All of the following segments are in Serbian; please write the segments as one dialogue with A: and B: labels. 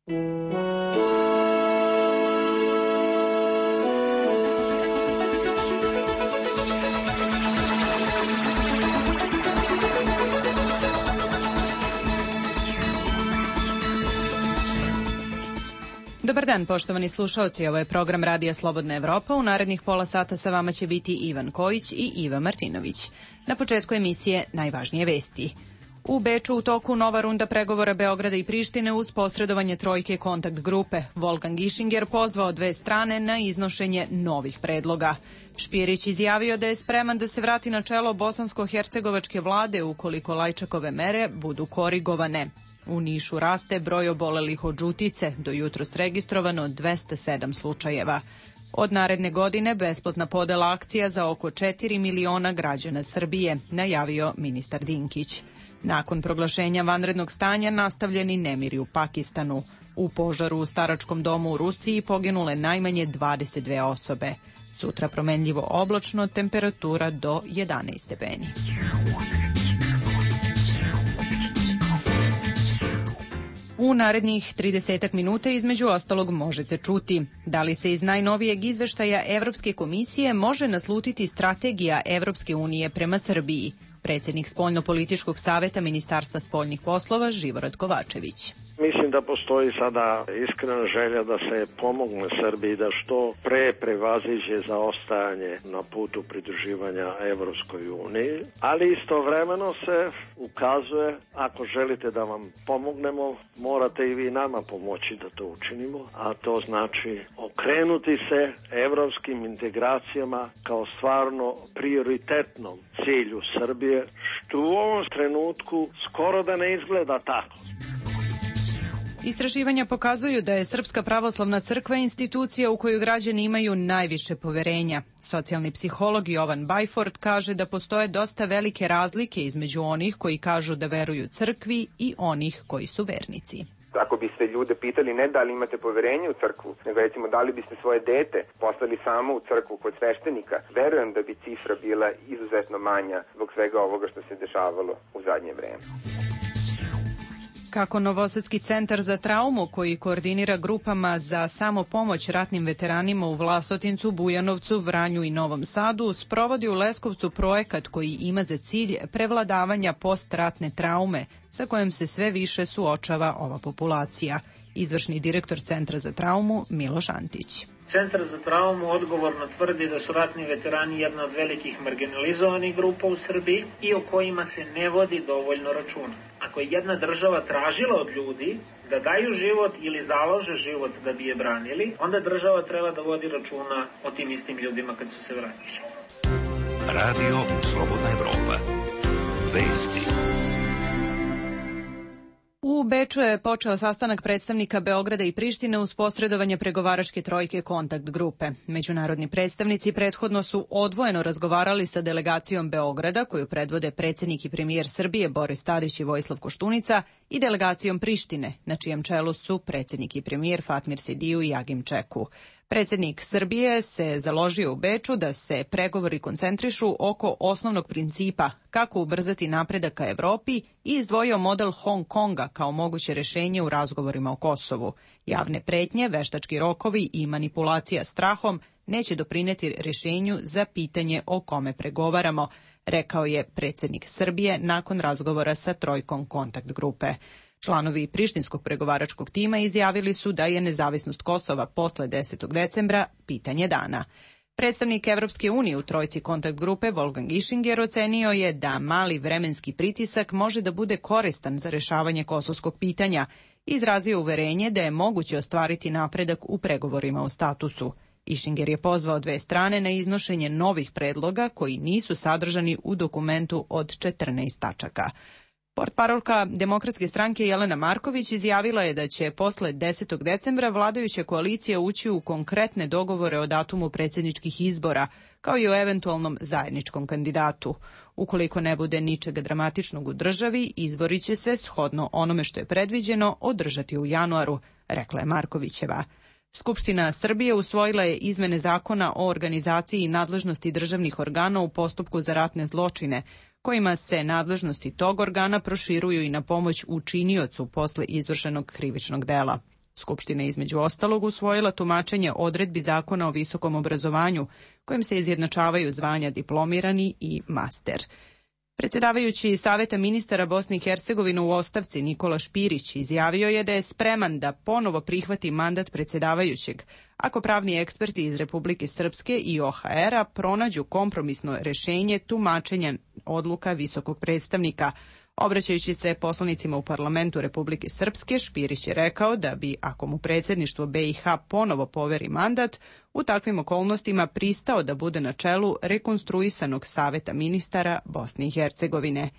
A: Dobar dan, poštovani slušaoci, ovo je program Radija Slobodna Evropa. U narednih pola sata sa vama će biti Ivan Kojić i Iva Martinović. Na početku emisije najvažnije vesti. U Beču u toku nova runda pregovora Beograda i Prištine uz posredovanje trojke kontakt grupe. Wolfgang Ischinger pozvao dve strane na iznošenje novih predloga. Špirić izjavio da je spreman da se vrati na čelo bosansko-hercegovačke vlade ukoliko Lajčakove mere budu korigovane. U Nišu raste broj obolelih od žutice, do jutros registrovano 207 slučajeva. Od naredne godine besplatna podela akcija za oko 4 miliona građana Srbije, najavio ministar Dinkić. Nakon proglašenja vanrednog stanja nastavljeni nemiri u Pakistanu. U požaru u staračkom domu u Rusiji poginule najmanje 22 osobe. Sutra promenljivo oblačno, temperatura do 11 stepeni. U narednih 30 minuta između ostalog možete čuti da li se iz najnovijeg izveštaja Evropske komisije može naslutiti strategija Evropske unije prema Srbiji. Predsjednik Spoljno-političkog saveta Ministarstva spoljnih poslova Živorad Kovačević.
B: Mislim da postoji sada iskrena želja da se pomogne Srbiji da što pre prevaziđe zaostajanje na putu pridruživanja Evropskoj uniji, ali istovremeno se ukazuje, ako želite da vam pomognemo, morate i vi nama pomoći da to učinimo, a to znači okrenuti se evropskim integracijama kao stvarno prioritetnom cilju Srbije, što u ovom trenutku skoro da ne izgleda tako.
A: Istraživanja pokazuju da je Srpska pravoslavna crkva institucija u koju građani imaju najviše poverenja. Socijalni psiholog Jovan Bajford kaže da postoje dosta velike razlike između onih koji kažu da veruju crkvi i onih koji su vernici.
C: Ako biste ljude pitali ne da li imate poverenje u crkvu, nego recimo da li biste svoje dete poslali samo u crkvu kod sveštenika, verujem da bi cifra bila izuzetno manja zbog svega ovoga što se dešavalo u zadnje vreme.
A: Kako Novosadski centar za traumu, koji koordinira grupama za samopomoć ratnim veteranima u Vlasotincu, Bujanovcu, Vranju i Novom Sadu, sprovodi u Leskovcu projekat koji ima za cilj prevladavanja postratne traume sa kojom se sve više suočava ova populacija. Izvršni direktor Centra za traumu Miloš Antić.
D: Centar za traumu odgovorno tvrdi da su ratni veterani jedna od velikih marginalizovanih grupa u Srbiji i o kojima se ne vodi dovoljno računa. Ako je jedna država tražila od ljudi da daju život ili založe život da bi je branili, onda država treba da vodi računa o tim istim ljudima kad su se vratili.
E: Radio Slobodna Evropa. Vesti.
A: U Beču je počeo sastanak predstavnika Beograda i Prištine uz posredovanje pregovaračke trojke kontakt grupe. Međunarodni predstavnici prethodno su odvojeno razgovarali sa delegacijom Beograda, koju predvode predsjednik i premijer Srbije Boris Tadić i Vojislav Koštunica, i delegacijom Prištine, na čijem čelu su predsjednik i premijer Fatmir Sidiju i Agim Čeku. Predsjednik Srbije se založio u Beču da se pregovori koncentrišu oko osnovnog principa kako ubrzati napredak ka Evropi i izdvojio model Hong Konga kao moguće rješenje u razgovorima o Kosovu. Javne pretnje, veštački rokovi i manipulacija strahom neće doprineti rješenju za pitanje o kome pregovaramo, rekao je predsjednik Srbije nakon razgovora sa trojkom kontakt grupe. Članovi prištinskog pregovaračkog tima izjavili su da je nezavisnost Kosova posle 10. decembra pitanje dana. Predstavnik Evropske unije u trojci kontakt grupe Wolfgang Ischinger ocenio je da mali vremenski pritisak može da bude koristan za rješavanje kosovskog pitanja i izrazio uverenje da je moguće ostvariti napredak u pregovorima o statusu. Ischinger je pozvao dve strane na iznošenje novih predloga koji nisu sadržani u dokumentu od 14 tačaka. Portparolka Demokratske stranke Jelena Marković izjavila je da će posle 10. decembra vladajuća koalicija ući u konkretne dogovore o datumu predsjedničkih izbora, kao i o eventualnom zajedničkom kandidatu. Ukoliko ne bude ničega dramatičnog u državi, izbori će se, shodno onome što je predviđeno, održati u januaru, rekla je Markovićeva. Skupština Srbije usvojila je izmene zakona o organizaciji i nadležnosti državnih organa u postupku za ratne zločine, kojima se nadležnosti tog organa proširuju i na pomoć učiniocu posle izvršenog krivičnog dela. Skupština je između ostalog usvojila tumačenje odredbi Zakona o visokom obrazovanju, kojim se izjednačavaju zvanja diplomirani i master. Predsjedavajući Saveta ministara Bosne i Hercegovine u ostavci Nikola Špirić izjavio je da je spreman da ponovo prihvati mandat predsjedavajućeg, ako pravni eksperti iz Republike Srpske i OHR-a pronađu kompromisno rješenje tumačenja odluka visokog predstavnika. Obraćajući se poslanicima u parlamentu Republike Srpske, Špirić je rekao da bi, ako mu predsjedništvo BiH ponovo poveri mandat, u takvim okolnostima pristao da bude na čelu rekonstruisanog Saveta ministara Bosne i Hercegovine.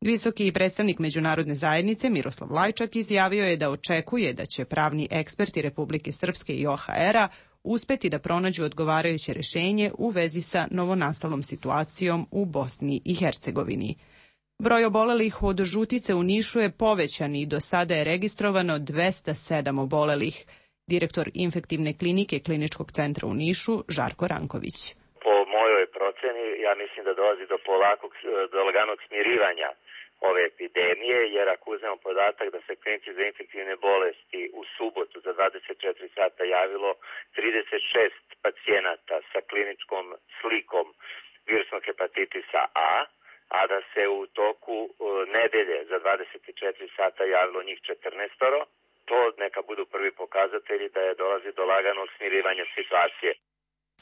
A: Visoki predstavnik međunarodne zajednice Miroslav Lajčak izjavio je da očekuje da će pravni eksperti Republike Srpske i OHR-a uspeti da pronađu odgovarajuće rješenje u vezi sa novonastalom situacijom u Bosni i Hercegovini. Broj obolelih od žutice u Nišu je povećan i do sada je registrovano 207 obolelih. Direktor infektivne klinike Kliničkog centra u Nišu, Žarko Ranković.
F: Po mojoj proceni, ja mislim da dolazi do laganog smirivanja ove epidemije, jer ako uzmemo podatak da se klinici za infektivne bolesti u subotu za 24 sata javilo 36 pacijenata sa kliničkom slikom virusnog hepatitisa A, a da se u toku nedelje za 24 sata javilo njih 14, to neka budu prvi pokazatelji da je dolazi do laganog smirivanja situacije.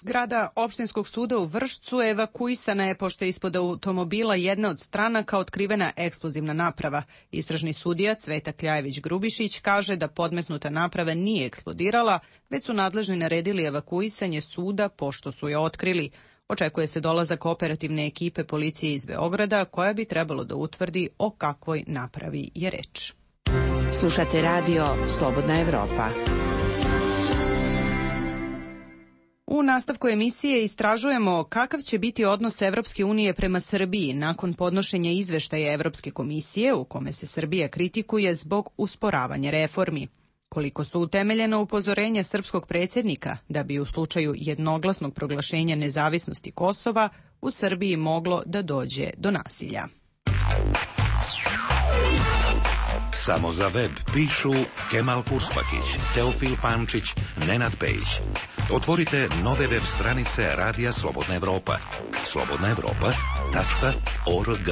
A: Zgrada opštinskog suda u Vršcu evakuisana je pošto je ispod automobila jedna od stranaka otkrivena eksplozivna naprava. Istražni sudija Cveta Kljajević-Grubišić kaže da podmetnuta naprava nije eksplodirala, već su nadležni naredili evakuisanje suda pošto su je otkrili. Očekuje se dolazak operativne ekipe policije iz Beograda koja bi trebalo da utvrdi o kakvoj napravi je reč.
G: Slušate radio Slobodna Evropa.
A: U nastavku emisije istražujemo kakav će biti odnos Evropske unije prema Srbiji nakon podnošenja izveštaja Evropske komisije u kome se Srbija kritikuje zbog usporavanja reformi. Koliko su utemeljena upozorenja srpskog predsjednika da bi u slučaju jednoglasnog proglašenja nezavisnosti Kosova u Srbiji moglo da dođe do nasilja.
E: Samo za web pišu Kemal Kurspakić, Teofil Pančić, Nenad Pejić. Otvorite nove web stranice Radija Slobodna Evropa. slobodnaevropa.org.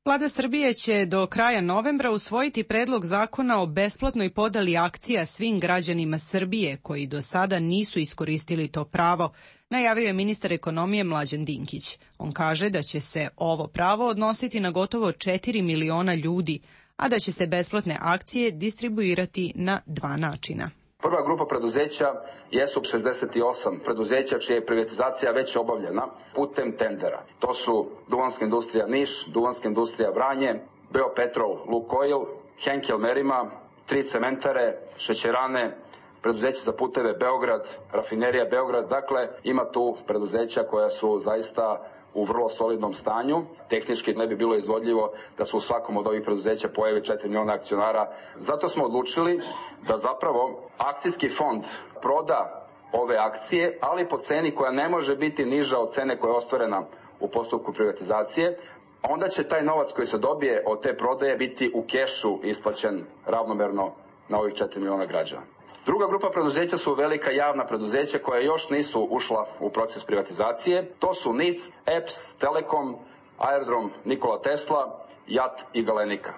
A: Vlada Srbije će do kraja novembra usvojiti predlog zakona o besplatnoj podeli akcija svim građanima Srbije koji do sada nisu iskoristili to pravo, najavio je ministar ekonomije Mlađan Dinkić. On kaže da će se ovo pravo odnositi na gotovo 4 miliona ljudi, a da će se besplatne akcije distribuirati na 2 načina.
H: Prva grupa preduzeća jesu 68 preduzeća čija je privatizacija već obavljena putem tendera. To su Duvanska industrija Niš, Duvanska industrija Vranje, Beopetrol Lukoil, Henkel Merima, 3 cementare, šećerane, preduzeće za puteve Beograd, rafinerija Beograd. Dakle, ima tu preduzeća koja su zaista u vrlo solidnom stanju. Tehnički ne bi bilo izvodljivo da se u svakom od ovih preduzeća pojavi 4 miliona akcionara. Zato smo odlučili da zapravo akcijski fond proda ove akcije, ali po ceni koja ne može biti niža od cene koja je ostvarena u postupku privatizacije. Onda će taj novac koji se dobije od te prodaje biti u kešu isplaćen ravnomerno na ovih 4 miliona građana. Druga grupa preduzeća su velika javna preduzeća koja još nisu ušla u proces privatizacije. To su NIC, EPS, Telekom, Aerodrom Nikola Tesla, JAT i Galenika.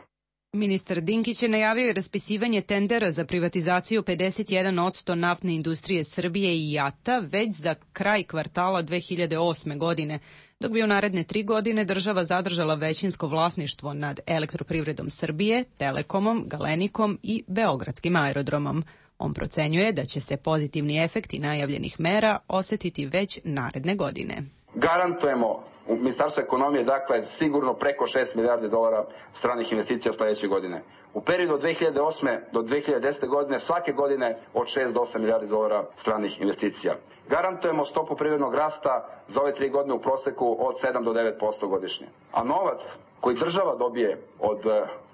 A: Ministar Dinkić je najavio i raspisivanje tendera za privatizaciju 51% naftne industrije Srbije i JAT-a već za kraj kvartala 2008. godine, dok bi u naredne 3 godine država zadržala većinsko vlasništvo nad Elektroprivredom Srbije, Telekomom, Galenikom i Beogradskim aerodromom. On procenjuje da će se pozitivni efekti najavljenih mera osetiti već naredne godine.
H: Garantujemo u Ministarstvu ekonomije, dakle, sigurno preko 6 milijardi dolara stranih investicija sljedeće godine. U periodu od 2008. do 2010. godine svake godine od 6 do 8 milijardi dolara stranih investicija. Garantujemo stopu privrednog rasta za ove 3 godine u proseku od 7 do 9% godišnje. A novac koji država dobije od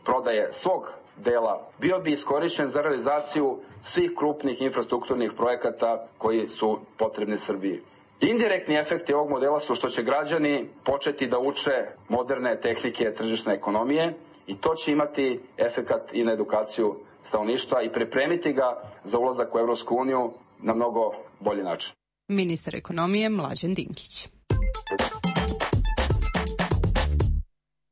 H: prodaje svog dela bio bi iskorišćen za realizaciju svih krupnih infrastrukturnih projekata koji su potrebni Srbiji. Indirektni efekti ovog modela su što će građani početi da uče moderne tehnike tržišne ekonomije i to će imati efekat i na edukaciju stanovništva i pripremiti ga za ulazak u Evropsku uniju na mnogo bolji način.
A: Ministar ekonomije Mlađan Dinkić.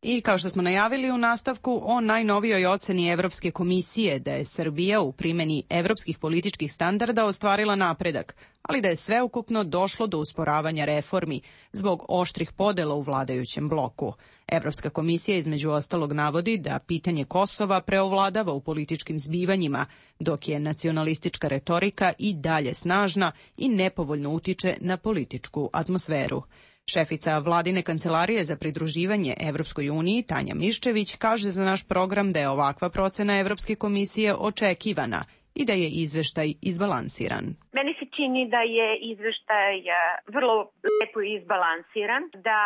A: I kao što smo najavili u nastavku o najnovijoj oceni Evropske komisije da je Srbija u primjeni evropskih političkih standarda ostvarila napredak, ali da je sveukupno došlo do usporavanja reformi zbog oštrih podela u vladajućem bloku. Evropska komisija između ostalog navodi da pitanje Kosova preovladava u političkim zbivanjima, dok je nacionalistička retorika i dalje snažna i nepovoljno utiče na političku atmosferu. Šefica vladine kancelarije za pridruživanje Evropskoj uniji, Tanja Miščević, kaže za naš program da je ovakva procena Evropske komisije očekivana i da je izveštaj izbalansiran.
I: Meni se čini da je izveštaj vrlo lepo izbalansiran, da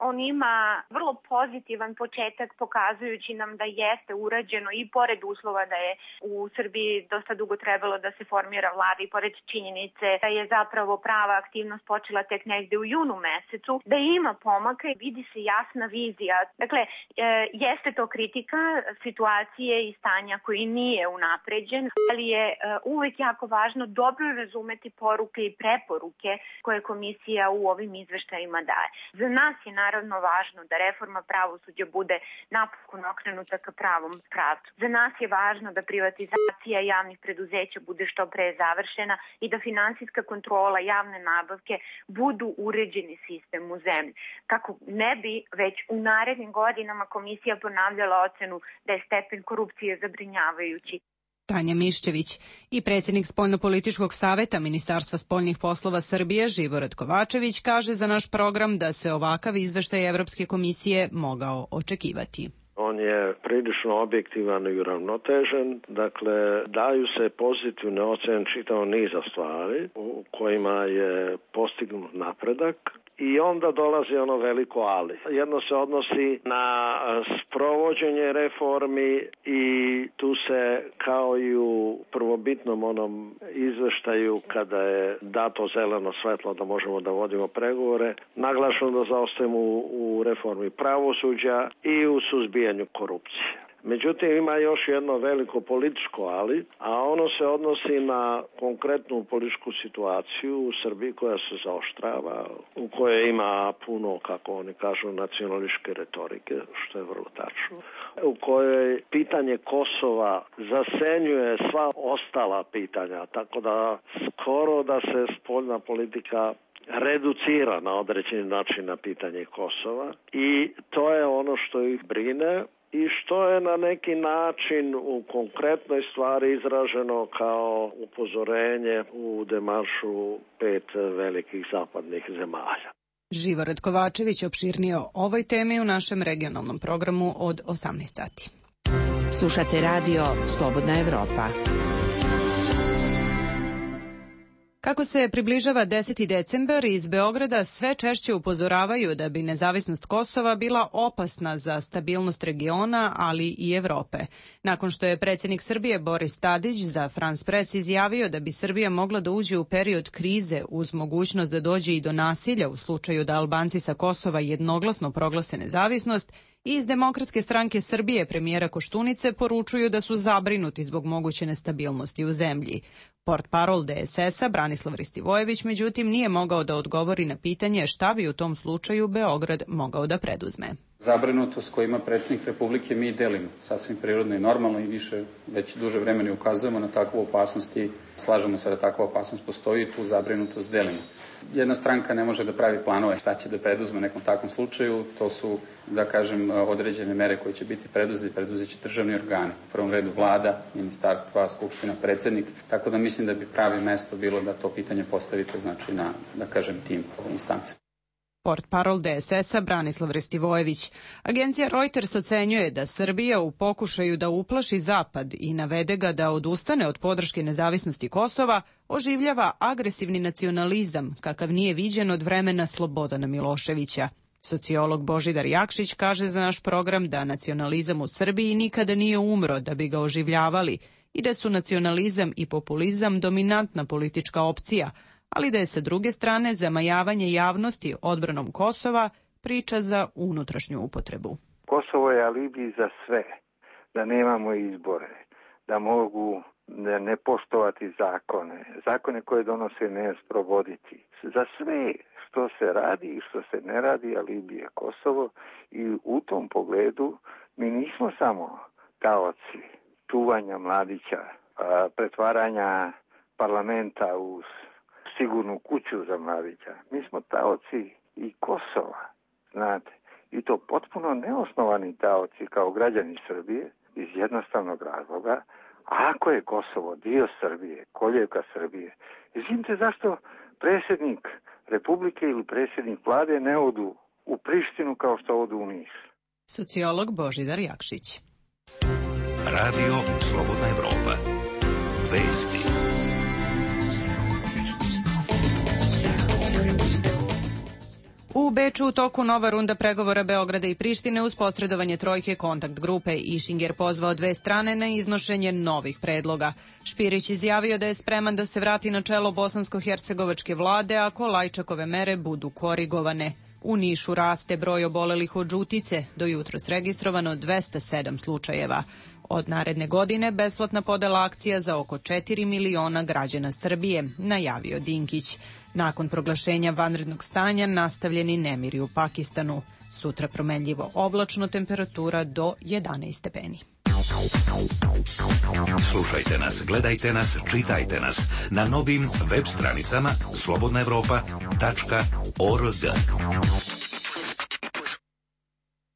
I: on ima vrlo pozitivan početak pokazujući nam da jeste urađeno i pored uslova da je u Srbiji dosta dugo trebalo da se formira vlada i pored činjenice da je zapravo prava aktivnost počela tek negde u junu mesecu, da ima pomaka i vidi se jasna vizija. Dakle, jeste to kritika situacije i stanja koji nije unapređen, ali je uvek jako važno dobro razumeti poruke i preporuke koje komisija u ovim izveštajima daje. Za nas je naravno važno da reforma pravosuđa bude napokon okrenuta ka pravom pravcu. Za nas je važno da privatizacija javnih preduzeća bude što pre završena i da finansijska kontrola javne nabavke budu uređeni sistem u zemlji. Kako ne bi već u narednim godinama komisija ponavljala ocenu da je stepen korupcije zabrinjavajući.
A: Tanja Miščević i predsjednik Spoljnopolitičkog saveta Ministarstva spoljnih poslova Srbije Živorad Kovačević kaže za naš program da se ovakav izveštaj Evropske komisije mogao očekivati.
B: On je prilično objektivan i uravnotežen, dakle daju se pozitivne ocjene čitavog niza stvari u kojima je postignut napredak. I onda dolazi ono veliko ali. Jedno se odnosi na sprovođenje reformi i tu se kao i u prvobitnom onom izveštaju kada je dato zeleno svetlo da možemo da vodimo pregovore, naglašeno da zaostajemo u reformi pravosuđa i u suzbijanju korupcije. Međutim, ima još jedno veliko političko ali, a ono se odnosi na konkretnu političku situaciju u Srbiji koja se zaoštrava, u kojoj ima puno, kako oni kažu, nacionalističke retorike, što je vrlo tačno, u kojoj pitanje Kosova zasenjuje sva ostala pitanja, tako da skoro da se spoljna politika reducira na određeni način na pitanje Kosova i to je ono što ih brine i što je na neki način u konkretnoj stvari izraženo kao upozorenje u demaršu 5 velikih zapadnih zemalja.
A: Živorad Kovačević opširnije o ovoj temi u našem regionalnom programu od 18 sati.
G: Slušate radio Slobodna Evropa.
A: Kako se približava 10. decembar, iz Beograda sve češće upozoravaju da bi nezavisnost Kosova bila opasna za stabilnost regiona, ali i Evrope. Nakon što je predsjednik Srbije Boris Tadić za France Press izjavio da bi Srbija mogla da uđe u period krize uz mogućnost da dođe i do nasilja u slučaju da Albanci sa Kosova jednoglasno proglase nezavisnost, i iz Demokratske stranke Srbije premijera Koštunice poručuju da su zabrinuti zbog moguće nestabilnosti u zemlji. Portparol DSS-a Branislav Ristivojević međutim nije mogao da odgovori na pitanje šta bi u tom slučaju Beograd mogao da preduzme.
J: Zabrinutost koju ima predsjednik Republike mi delimo sasvim prirodno i normalno i više već duže vremena ukazujemo na takvu opasnost i slažemo se da takva opasnost postoji i tu zabrinutost delimo. Jedna stranka ne može da pravi planove šta će da preduzme u nekom takvom slučaju, to su, da kažem, određene mere koje će biti preduzet će državni organi, u prvom redu vlada, ministarstva, skupština, predsjednik, tako da mislim da bi pravi mesto bilo da to pitanje postavite, znači na, da kažem, tim instance.
A: Portparol DSS-a Branislav Ristivojević. Agencija Reuters ocenjuje da Srbija u pokušaju da uplaši Zapad i navede ga da odustane od podrške nezavisnosti Kosova oživljava agresivni nacionalizam kakav nije viđen od vremena Slobodana Miloševića. Sociolog Božidar Jakšić kaže za naš program da nacionalizam u Srbiji nikada nije umro da bi ga oživljavali i da su nacionalizam i populizam dominantna politička opcija, ali da je sa druge strane zamajavanje javnosti odbranom Kosova priča za unutrašnju upotrebu.
K: Kosovo je alibi za sve, da nemamo izbore, da mogu ne poštovati zakone koje donose ne sprovoditi. Za sve što se radi i što se ne radi, alibi je Kosovo i u tom pogledu mi nismo samo taoci čuvanja mladića, pretvaranja parlamenta u sigurnu kuću za mladića. Mi smo taoci i Kosova, znate, i to potpuno neosnovani taoci kao građani Srbije iz jednostavnog razloga. Ako je Kosovo dio Srbije, koljevka Srbije, izvinite zašto predsjednik Republike ili predsjednik vlade ne odu u Prištinu kao što odu u Niš?
A: Sociolog Božidar Jakšić.
E: Radio Slobodna Evropa. Vesti.
A: U Beču u toku nova runda pregovora Beograda i Prištine uz posredovanje trojke kontakt grupe. Išinger pozvao dve strane na iznošenje novih predloga. Špirić izjavio da je spreman da se vrati na čelo bosansko-hercegovačke vlade ako Lajčakove mere budu korigovane. U Nišu raste broj obolelih od žutice, do jutros registrovano 207 slučajeva. Od naredne godine besplatna podela akcija za oko 4 miliona građana Srbije, najavio Dinkić. Nakon proglašenja vanrednog stanja nastavljeni nemiri u Pakistanu. Sutra promenljivo oblačno, temperatura do 11 stepeni.
E: Slušajte nas, gledajte nas, čitajte nas na novim web stranicama slobodnaevropa.org.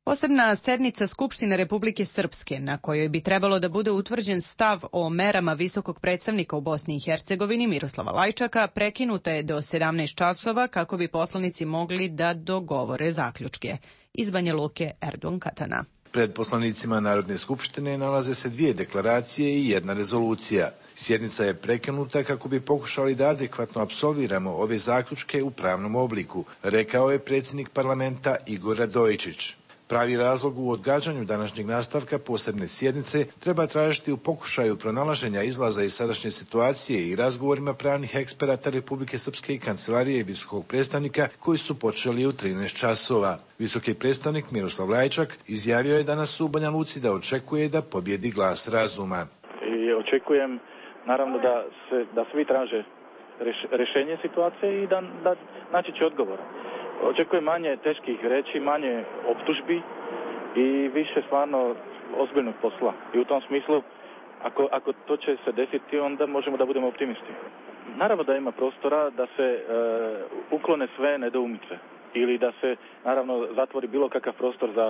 A: Posebna sednica Skupštine Republike Srpske, na kojoj bi trebalo da bude utvrđen stav o merama visokog predstavnika u Bosni i Hercegovini Miroslava Lajčaka, prekinuta je do 17 časova kako bi poslanici mogli da dogovore zaključke. Iz Banja Luke, Erdogan Katana.
L: Pred poslanicima Narodne skupštine nalaze se 2 deklaracije i 1 rezolucija. Sjednica je prekinuta kako bi pokušali da adekvatno apsolviramo ove zaključke u pravnom obliku, rekao je predsjednik parlamenta Igor Radojičić. Pravi razlog u odgađanju današnjeg nastavka posebne sjednice treba tražiti u pokušaju pronalaženja izlaza iz sadašnje situacije i razgovorima pravnih eksperata Republike Srpske i Kancelarije visokog predstavnika koji su počeli u 13 časova. Visoki predstavnik Miroslav Lajčak izjavio je danas u Banja Luci da očekuje da pobjedi glas razuma.
M: I očekujem naravno da svi traže rješenje situacije i da naći će odgovor. Očekujem manje teških reči, manje optužbi i više stvarno ozbiljnog posla. I u tom smislu, ako to će se desiti, onda možemo da budemo optimisti. Naravno da ima prostora da se uklone sve nedoumice ili da se, naravno, zatvori bilo kakav prostor za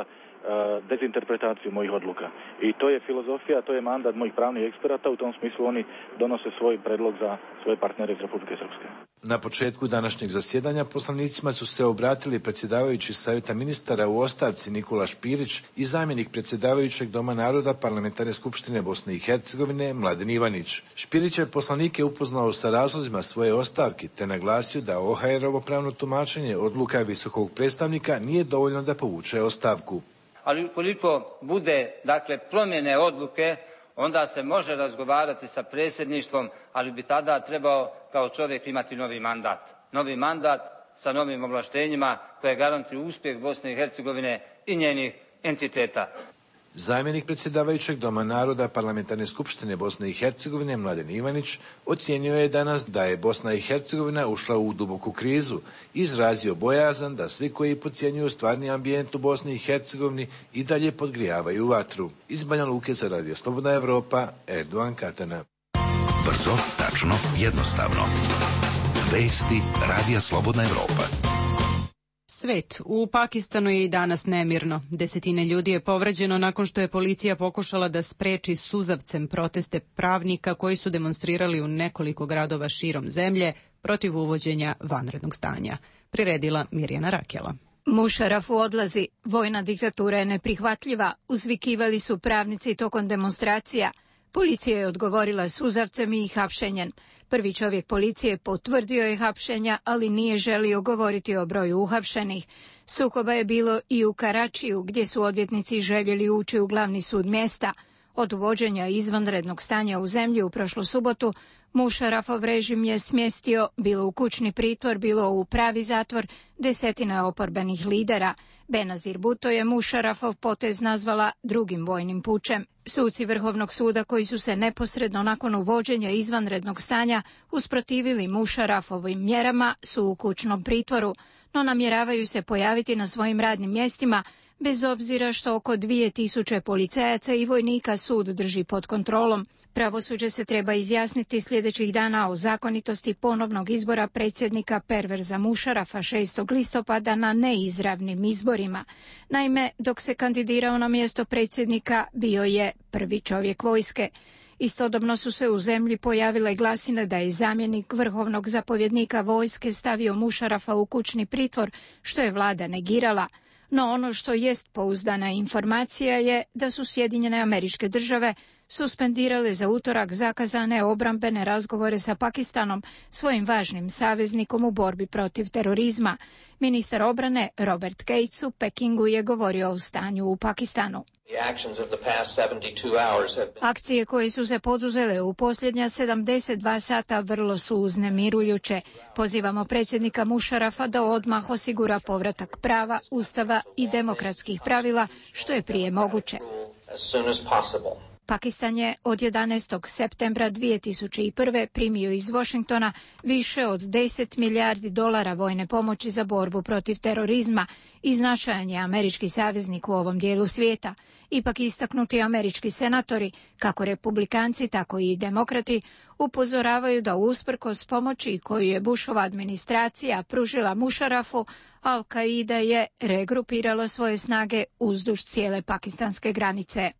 M: dezinterpretaciju mojih odluka. I to je filozofija, to je mandat mojih pravnih eksperata, u tom smislu oni donose svoj predlog za svoje partnere iz Republike Srpske.
L: Na početku današnjeg zasjedanja poslanicima su se obratili predsjedavajući Savjeta ministara u ostavci Nikola Špirić i zamjenik predsjedavajućeg Doma naroda Parlamentarne skupštine Bosne i Hercegovine Mladen Ivanić. Špirić je poslanike upoznao sa razlozima svoje ostavke te naglasio da OHR-ovo pravno tumačenje odluka visokog predstavnika nije dovoljno da povuče ostavku.
N: Ali ukoliko bude, promjene odluke, onda se može razgovarati sa predsjedništvom, ali bi tada trebao kao čovjek imati novi mandat. Novi mandat sa novim ovlaštenjima koje garantuju uspjeh Bosne i Hercegovine i njenih entiteta.
L: Zamjenik predsjedavajućeg Doma naroda Parlamentarne skupštine Bosne i Hercegovine Mladen Ivanić ocijenio je danas da je Bosna i Hercegovina ušla u duboku krizu i izrazio bojazan da svi koji podcjenjuju stvarni ambijent u Bosni i Hercegovini i dalje podgrijavaju vatru. Iz Banja Luke za Radio Slobodna Evropa, Erdogan Katana.
E: Brzo, tačno, jednostavno. Vesti Radija Slobodna Evropa.
A: Svet. U Pakistanu je i danas nemirno. Desetine ljudi je povređeno nakon što je policija pokušala da spreči suzavcem proteste pravnika koji su demonstrirali u nekoliko gradova širom zemlje protiv uvođenja vanrednog stanja. Priredila Mirjana Rakela.
O: Mušarafu odlazi. Vojna diktatura je neprihvatljiva. Uzvikivali su pravnici tokom demonstracija. Policija je odgovorila suzavcem i hapšenjem. Prvi čovjek policije potvrdio je hapšenja, ali nije želio govoriti o broju uhapšenih. Sukoba je bilo i u Karačiju, gdje su odvjetnici željeli ući u glavni sud mjesta. Od uvođenja izvanrednog stanja u zemlji u prošlu subotu, Mušarafov režim je smjestio bilo u kućni pritvor, bilo u pravi zatvor desetine oporbenih lidera. Benazir Bhutto je Mušarafov potez nazvala drugim vojnim pučem. Suci Vrhovnog suda koji su se neposredno nakon uvođenja izvanrednog stanja usprotivili Mušarafovim mjerama su u kućnom pritvoru, no namjeravaju se pojaviti na svojim radnim mjestima bez obzira što oko 2000 policajaca i vojnika sud drži pod kontrolom. Pravosuđe se treba izjasniti sljedećih dana o zakonitosti ponovnog izbora predsjednika Perverza Mušarafa 6. listopada na neizravnim izborima. Naime, dok se kandidirao na mjesto predsjednika, bio je prvi čovjek vojske. Istodobno su se u zemlji pojavile glasine da je zamjenik vrhovnog zapovjednika vojske stavio Mušarafa u kućni pritvor, što je vlada negirala. No ono što jest pouzdana informacija je da su Sjedinjene Američke Države suspendirale za utorak zakazane obrambene razgovore sa Pakistanom, svojim važnim saveznikom u borbi protiv terorizma. Ministar obrane Robert Gates u Pekingu je govorio o stanju u Pakistanu. Akcije koje su se poduzele u posljednja 72 sata vrlo su uznemirujuće. Pozivamo predsjednika Mušarafa da odmah osigura povratak prava, ustava i demokratskih pravila što je prije moguće. Pakistan je od 11. septembra 2001. primio iz Washingtona više od 10 milijardi dolara vojne pomoći za borbu protiv terorizma i značajan je američki saveznik u ovom dijelu svijeta. Ipak istaknuti američki senatori, kako republikanci, tako i demokrati, upozoravaju da usprkos pomoći koju je Bushova administracija pružila Mušarafu, Al-Qaida je regrupirala svoje snage uzduž cijele pakistanske granice.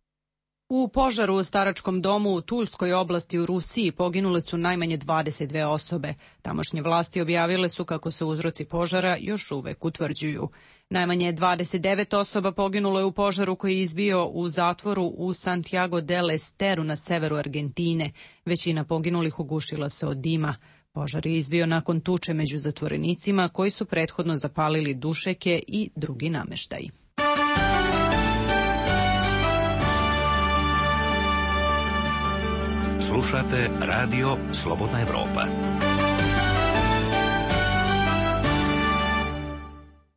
A: U požaru u staračkom domu u Tulskoj oblasti u Rusiji poginule su najmanje 22 osobe. Tamošnje vlasti objavile su kako se uzroci požara još uvek utvrđuju. Najmanje 29 osoba poginulo je u požaru koji je izbio u zatvoru u Santiago del Esteru na severu Argentine. Većina poginulih ugušila se od dima. Požar je izbio nakon tuče među zatvorenicima koji su prethodno zapalili dušeke i drugi nameštaj.
E: Slušate radio Slobodna Evropa.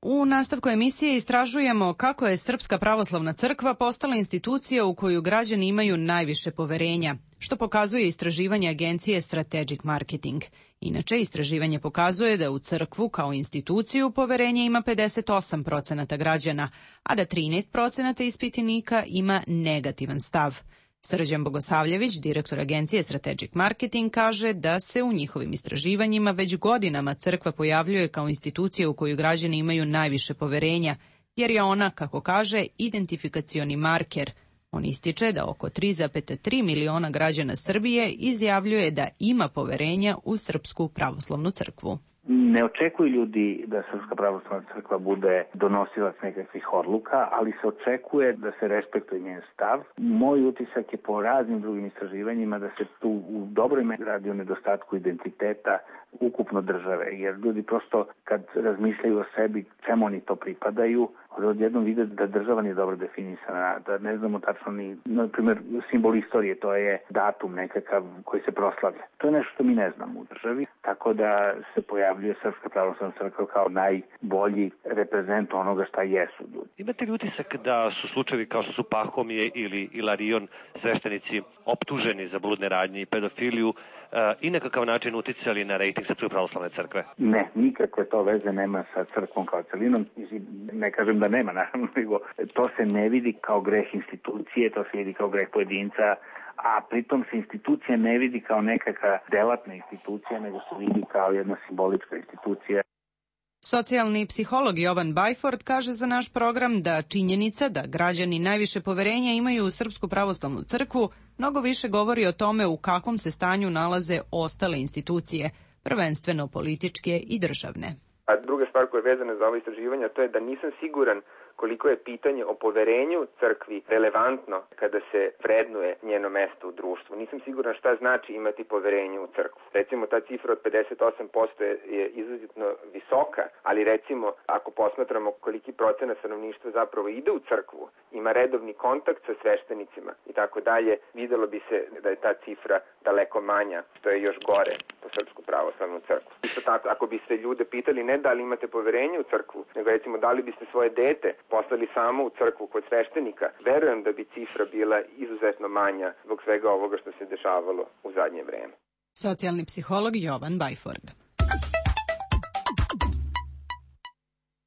A: U nastavku emisije istražujemo kako je Srpska pravoslavna crkva postala institucija u koju građani imaju najviše poverenja, što pokazuje istraživanje agencije Strategic Marketing. Inače, istraživanje pokazuje da u crkvu kao instituciju poverenje ima 58% građana, a da 13% ispitanika ima negativan stav. Srđan Bogosavljević, direktor agencije Strategic Marketing, kaže da se u njihovim istraživanjima već godinama crkva pojavljuje kao institucija u koju građani imaju najviše poverenja, jer je ona, kako kaže, identifikacioni marker. On ističe da oko 3,3 miliona građana Srbije izjavljuje da ima poverenja u Srpsku pravoslavnu crkvu.
P: Ne očekuju ljudi da Srpska pravoslavna crkva bude donosilac nekakvih odluka, ali se očekuje da se respektuje njen stav. Moj utisak je po raznim drugim istraživanjima da se tu u dobroj meri radi o nedostatku identiteta ukupno države, jer ljudi prosto kad razmišljaju o sebi čemu oni to pripadaju, odjednom vide da država nije dobro definisana, da ne znamo tačno ni, na primjer, simbol istorije, to je datum nekakav koji se proslavlja. To je nešto što mi ne znamo u državi, tako da se pojavljuje Srpska pravoslavna crkva kao najbolji reprezent onoga šta jesu ljudi.
Q: Imate li utisak da su slučajevi kao što su Pahomije ili Ilarion, sveštenici, optuženi za bludne radnje i pedofiliju i na kakav način uticali na rejting Srpske pravoslavne crkve?
P: Ne, nikakve to veze nema sa crkvom kao celinom. Ne kažem da nema, naravno, nego to se ne vidi kao greh institucije, to se vidi kao greh pojedinca, a pritom se institucija ne vidi kao nekakva delatna institucija, nego se vidi kao jedna simbolička institucija.
A: Socijalni psiholog Jovan Bajford kaže za naš program da činjenica da građani najviše poverenja imaju u Srpsku pravoslavnu crkvu mnogo više govori o tome u kakvom se stanju nalaze ostale institucije, prvenstveno političke i državne.
C: A druga stvar koja je vezana za ovo istraživanje, to je da nisam siguran koliko je pitanje o poverenju crkvi relevantno kada se vrednuje njeno mesto u društvu. Nisam siguran šta znači imati poverenje u crkvu. Recimo, ta cifra od 58% je izuzetno visoka, ali recimo, ako posmatramo koliki procenat stanovništva zapravo ide u crkvu, ima redovni kontakt sa sveštenicima i tako dalje, videlo bi se da je ta cifra daleko manja, što je još gore po Srpsku pravoslavnu crkvu. Isto tako, ako biste ljude pitali ne da li imate poverenje u crkvu, nego recimo da li biste svoje dete poslali samo u crkvu kod sveštenika, verujem da bi cifra bila izuzetno manja zbog svega ovoga što se dešavalo u zadnje vreme.
A: Socijalni psiholog Jovan Bajford.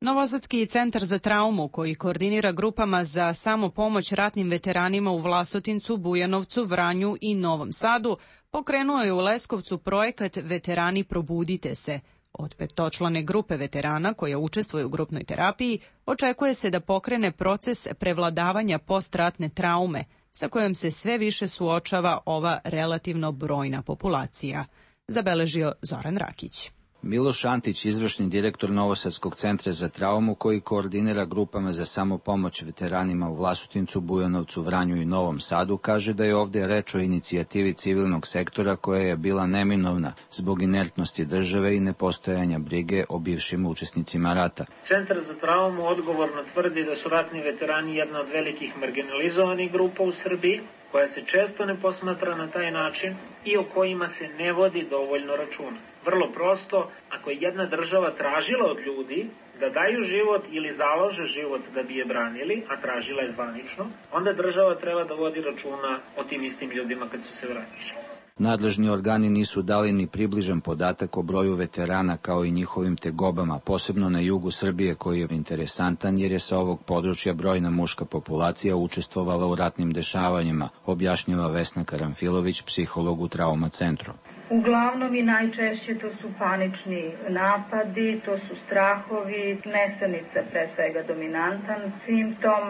A: Novosadski centar za traumu, koji koordinira grupama za samopomoć ratnim veteranima u Vlasotincu, Bujanovcu, Vranju i Novom Sadu, pokrenuo je u Leskovcu projekat Veterani probudite se. Od petočlane grupe veterana koja učestvuje u grupnoj terapiji očekuje se da pokrene proces prevladavanja postratne traume, sa kojom se sve više suočava ova relativno brojna populacija, zabeležio Zoran Rakić.
R: Miloš Antić, izvršni direktor Novosadskog centra za traumu, koji koordinira grupama za samopomoć veteranima u Vlasotincu, Bujanovcu, Vranju i Novom Sadu, kaže da je ovdje reč o inicijativi civilnog sektora koja je bila neminovna zbog inertnosti države i nepostojanja brige o bivšim učesnicima rata.
D: Centar za traumu odgovorno tvrdi da su ratni veterani jedna od velikih marginalizovanih grupa u Srbiji, koja se često ne posmatra na taj način i o kojima se ne vodi dovoljno računa. Vrlo prosto, ako je jedna država tražila od ljudi da daju život ili založe život da bi je branili, a tražila je zvanično, onda država treba da vodi računa o tim istim ljudima kad su se vratili.
R: Nadležni organi nisu dali ni približan podatak o broju veterana kao i njihovim tegobama, posebno na jugu Srbije, koji je interesantan jer je sa ovog područja brojna muška populacija učestvovala u ratnim dešavanjima, objašnjava Vesna Karamfilović, psiholog u Trauma centru.
S: Uglavnom i najčešće to su panični napadi, to su strahovi, nesanica pre svega dominantan simptom,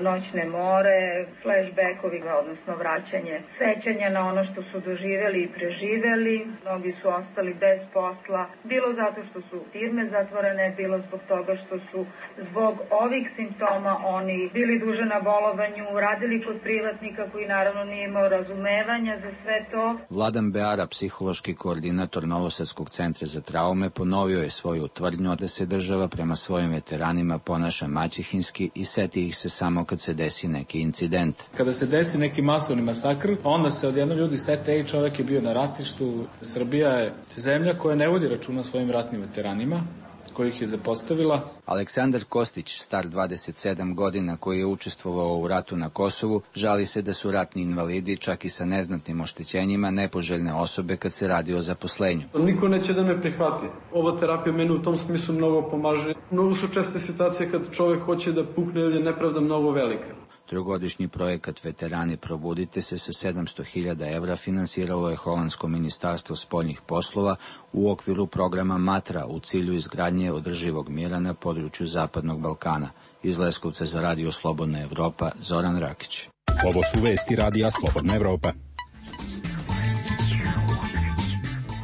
S: noćne more, flashbackovi, odnosno vraćanje sećanja na ono što su doživeli i preživeli. Mnogi su ostali bez posla, bilo zato što su firme zatvorene, bilo zbog toga što su zbog ovih simptoma oni bili duže na bolovanju, radili kod privatnika koji naravno nije imao razumevanja za sve to.
R: Vladan Beara, psihološki koordinator Novosadskog centra za traume, ponovio je svoju tvrdnju da se država prema svojim veteranima ponaša maćehinski i seti ih se samo kad se desi neki incident.
T: Kada se desi neki masovni masakr, onda se odjedno ljudi sete, čovjek je bio na ratištu. Srbija je zemlja koja ne vodi računa svojim ratnim veteranima, kojih je zapostavila.
R: Aleksandar Kostić, star 27 godina, koji je učestvovao u ratu na Kosovu, žali se da su ratni invalidi, čak i sa neznatnim oštećenjima, nepoželjne osobe kad se radi o zaposlenju.
U: Niko neće da me prihvati. Ova terapija meni u tom smislu mnogo pomaže. Mnogo su česte situacije kad čovjek hoće da pukne ili je nepravda mnogo velika.
R: Trogodišnji projekat Veterani probudite se sa 700.000 evra finansiralo je Holandsko ministarstvo spoljnih poslova u okviru programa Matra u cilju izgradnje održivog mira na području Zapadnog Balkana. Iz Leskovca za Radio Slobodna Evropa, Zoran Rakić.
V: Ovo su vesti Radija Slobodna Evropa.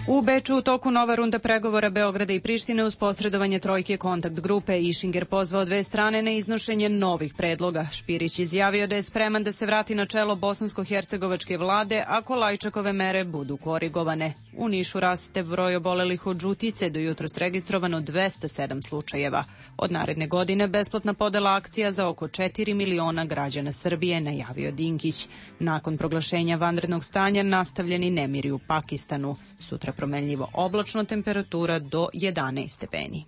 A: U Beču u toku nova runda pregovora Beograda i Prištine uz posredovanje trojke kontakt grupe. Išinger pozvao dve strane na iznošenje novih predloga. Špirić izjavio da je spreman da se vrati na čelo bosansko-hercegovačke vlade ako Lajčakove mere budu korigovane. U Nišu raste broj obolelih od žutice, do jutros registrovano 207 slučajeva. Od naredne godine besplatna podela akcija za oko 4 miliona građana Srbije, najavio Dinkić. Nakon proglašenja vanrednog stanja nastavljeni nemiri u Pakistanu. Sutra promenljivo oblačno, temperatura do 11 stepeni.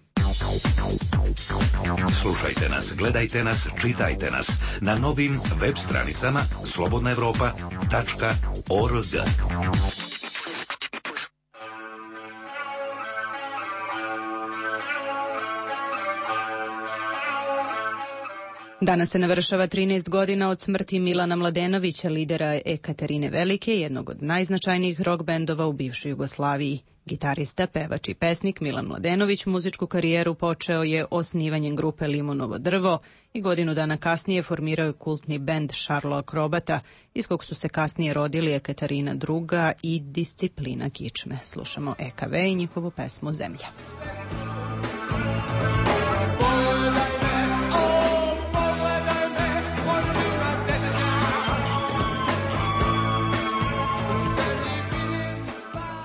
E: Slušajte nas, gledajte nas, čitajte nas na novim web stranicama slobodnaevropa.org.
A: Danas se navršava 13 godina od smrti Milana Mladenovića, lidera Ekaterine Velike, jednog od najznačajnijih rock bendova u bivšoj Jugoslaviji. Gitarista, pevač i pesnik Milan Mladenović muzičku karijeru počeo je osnivanjem grupe Limonovo drvo i godinu dana kasnije formirao je kultni bend Šarlo Akrobata, iz kog su se kasnije rodili Ekaterina II i Disciplina kičme. Slušamo EKV i njihovu pesmu Zemlja.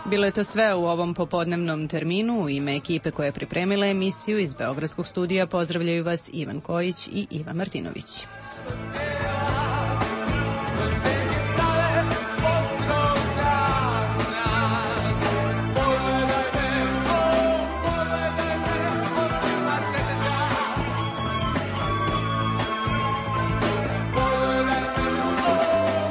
A: Bilo je to sve u ovom popodnevnom terminu. U ime ekipe koja je pripremila emisiju iz Beogradskog studija pozdravljaju vas Ivan Kojić i Iva Martinović.